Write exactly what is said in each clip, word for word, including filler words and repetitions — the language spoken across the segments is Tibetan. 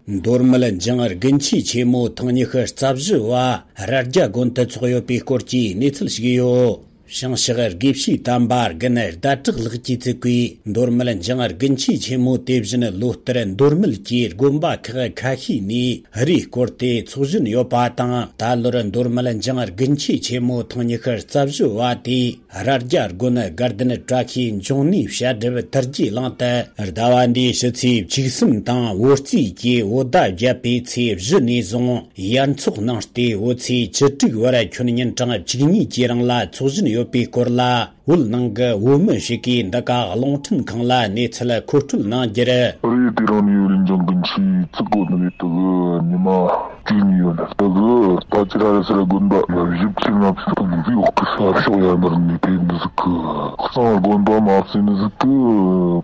མདོ་སྨད་འཇང་དགུན་ཆོས་ཆེན་མོ་ཐེངས་ཉི་ཤུ་རྩ་བཞི་བ་རྭ་རྒྱ་དགོན་དུ་འཚོགས་ཡོད་པའི་སྐོར་གྱི་གནས་ཚུལ་ཞིག་ཡོད། བྱང་ཕྱོགས་དགེ་བཤེས་དམ་པ་དགུན་ཟླ་གྲགས་ལགས་ཀྱིས་བཙུགས་པའི་མདོ་སྨད་འཇང་དགུན་ཆོས་ཆེན་མོ་དེ་བཞིན་ལོ་ལྟར་མདོ་སྨད་ཀྱི་དགོན་པ་ཁག་ཁ་ཤས་ནས་རེས་སྐོར་ཏེ་འཚོགས་བཞིན་ཡོད་པ་དང་། ད་ལོར་མདོ་སྨད་འཇང་དགུན་ཆོས་ཆེན་མོ་ཐེངས་ཉི་ཤུ་རྩ་བཞི་བ་དེ། རྭ་རྒྱ་དགོན་དགའ་ལྡན་བཀྲ་ཤིས་འབྱུང་གནས་བཤད་སྒྲུབ་དར་རྒྱས་གླིང་དུ། ཟླ་བ་འདིའི་ཕྱི་ཚེས་བཅུ་གསུམ་དང་བོད་རྩིས་ཀྱི་བོད་ཟླ་བརྒྱད་པའི་ཚེས་བཞི་ནས་བཟུང་ཡར་འཚོགས་གནང་སྟེ། བོད་ཚེས་བཅུ་དྲུག་བར་ཁྱོན་ཉིན་གྲངས་བཅུ་གཉིས་ཀྱི་རིང་ལ་འཚོགས་བཞིན་ཡོད་པའི་སྐོར་ལ། བོད་ནང་གི་བོད་མི་ཞིག་གིས་འདི་ག་རླུང་འཕྲིན་ཁང་ལ་གནས་ཚུལ་མཁོ་སྤྲོད་གནང་རྒྱུར། རེད། དེ་རིང་ནས་ཡོད་ལེ་འཇང་དགུན་ཆོས་བཙུགས་གོ་ནི་རེད། དེ་གི་ཉི་མ་བཅུ་གཉིས་ཡོད་ནི། དེ་གི་ད་ཅི་ར་རེ་སི་ར་དགོན་པ་བཞི་བཅུ་ལྔ་བཅུ་དང་འདི་འོག་གི་ས་ཕྱོགས་ཡར་མར་ནས་ཕེབས་ནི་ཟིག་གི། གཙང་དགོན་པ་མ་ཟིན་ནི་ཟིག་གི་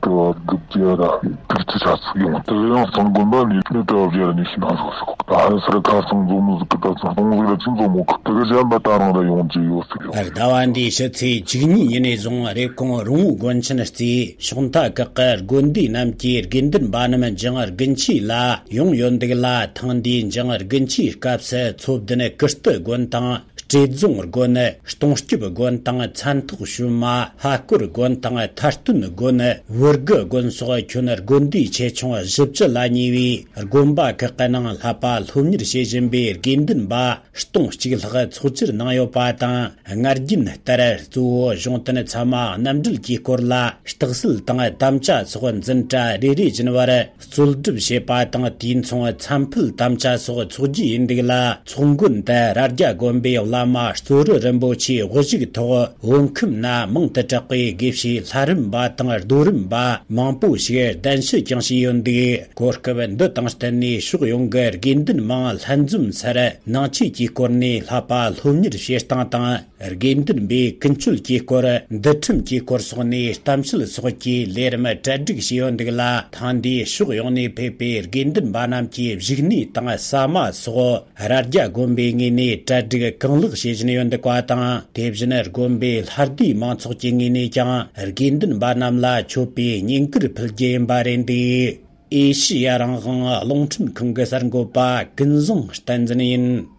དེ་བ་དགུ་བརྒྱ་ར་དྲུག་ཅུ་ཆ་ཚིག་ཡོང་། དེ་ཡང་གཙང་དགོན་པ་ནས་ནི་དེ་བ་བརྒྱ་ར་ནས་ཤི་ན་ཟིག་ཟིག་ད་ཧ་སི་ར་ཁ་སང་འཛོམས་མི་ཟིག་གི་ད་ཚང་སྟོང་ཟིག་ར་ཅི་འཛོམས་མོ་གི། དེ་གི་གཞན་པ་ད་རང་ར་ཡོང་རྒྱུ་ཡོད་ཟིག་ཡོད། ཟླ་བ་འདིའི་ཕྱི་ཚེས་བཅུ་གཉིས་ཉིན་ནས་བཟུང་རེབ་གོང་རོང་བོ་དགོན་ཆེན་རྩེའི་ཕྱོགས་མཐའ་ཁག་གི་དགོན་སྡེ་རྣམས་ཀྱི་དགེ་འདུན་པ་རྣམས་འཇང་དགུན་ཆོས་ལ་ཡོང་ཡོད་འདུག་ལ། ཐེངས་འདིའི་འཇང་དགུན་ཆོས་སྐབས་སུ་ཚོ་བདུན་ཀིརྟི་དགོན་དང་། བཀྲས་རྫོང་དགོན། སྟོང་སྐྱིབ་དགོན་དང་། མཚན་ཐོག་ཞུན་མ། ལྷ་སྐོར་དགོན་དང་། ཐར་སྟོན་དགོན། བུ་དགུ་དགོན་སོགས་ཁྱོན་དགོན་སྡེ་ཆེ་ཆུང་བཞི་བཅུ་ལ་ཉེ་བའི་དགོན་པ་ཁག་གི་ནང་བསླབ་པ་སློབ་གཉེར་བྱེད་བཞིན་པའི་དགེ་འདུན་པ་སྟོང་གཅིག་ལྷག་ཚོགས་བཅར་གནང་ཡོད་པ་དང་། སྔར་རྒྱུན་ལྟར་གཙོ་བོ་གཞུང་དོན་ཚད་མ་རྣམ་འགྲེལ་གྱི་སྐོར་ལ་རྟགས་གསལ་དང་དམ་བཅའ་སོགས་འཛིན་གྲྭ་རེ་རེ་བཞིན་བར་རྩོལ་སྒྲུབ་བྱེད་པ་དང་། དུས་མཚུངས་མཚམས་ཕུད་དམ་བཅའ་སོགས་འཚོགས་རྒྱུ་ཡིན་འདུག་ལ། ཚོགས་མགོན་དུ་རྭ་རྒྱ་དགོན་པའི་བླ་མ་གཙོ་རུ་རིན་པོ་ཆེའི་དབུ་བཞུགས་ཐོག་བོད་ཁམས་ན་མང་དུ་གྲགས་པའི་དགེ་བཤེས་ལྷ་རམས་པ་དང་རྡོ་རམས་པ་མང་པོ་ཞིག་གདན་ཞུ་ཀྱང་བྱས་ཡོད་འདུག་གོ་སྐབས་འདི་དང་བསྟུན་ནས་ཕྱོགས་ཡོངས་ཀྱི་དགེ་འདུན་མང་ལྷན་འཛོམས་སར་ནང་ཆོས་ཀྱི་སྐོར་ནས་བསླབ་པ་སློབ་གཉེར་བྱེད་སྟངས་དང་། དགེ་འདུན་པའི་ཀུན་སྤྱོད་ཀྱི་སྐོར། འདུལ་ཁྲིམས་ཀྱི་སྐོར་སོགས་ནས་གཏམ་བཤད་སོགས་ཀྱི་ལས་རིམ་གྲ་སྒྲིག་བྱས་ཡོད་འདུག་ལ། ཐེངས་འདིའི་ཕྱོགས་ཡོངས་ནས་ཕེབས་པའི་དགེ་འདུན་པ་རྣམས་ཀྱི་བཞུགས་གནས་དང་ཟ་མ་སོགས་རྭ་རྒྱ་དགོན་པའི་ངོས་ནས་གྲ་སྒྲིག་གང་ལེགས་བྱེད་བཞིན་ཡོད་འདུག་པ་དང་། དེ་བཞིན་དགོན་པའི་ལྷ་སྡེའི་མང་ཚོགས་ཀྱི་ངོས་ནས་ཀྱང་དགེ་འདུན་པ་རྣམས་ལ་མཆོད་པའི་བསྙེན་བཀུར་ཕུལ་རྒྱུ་ཡིན་པ་རེད་འདུག་ཨེ་ཤི་ཡ་རང་དབང་རླུང་འཕྲིན་ཁང་གི་གསར་འགོད་པ་ཀུན་བཟང་བསྟན་འཛིན་ཡིན།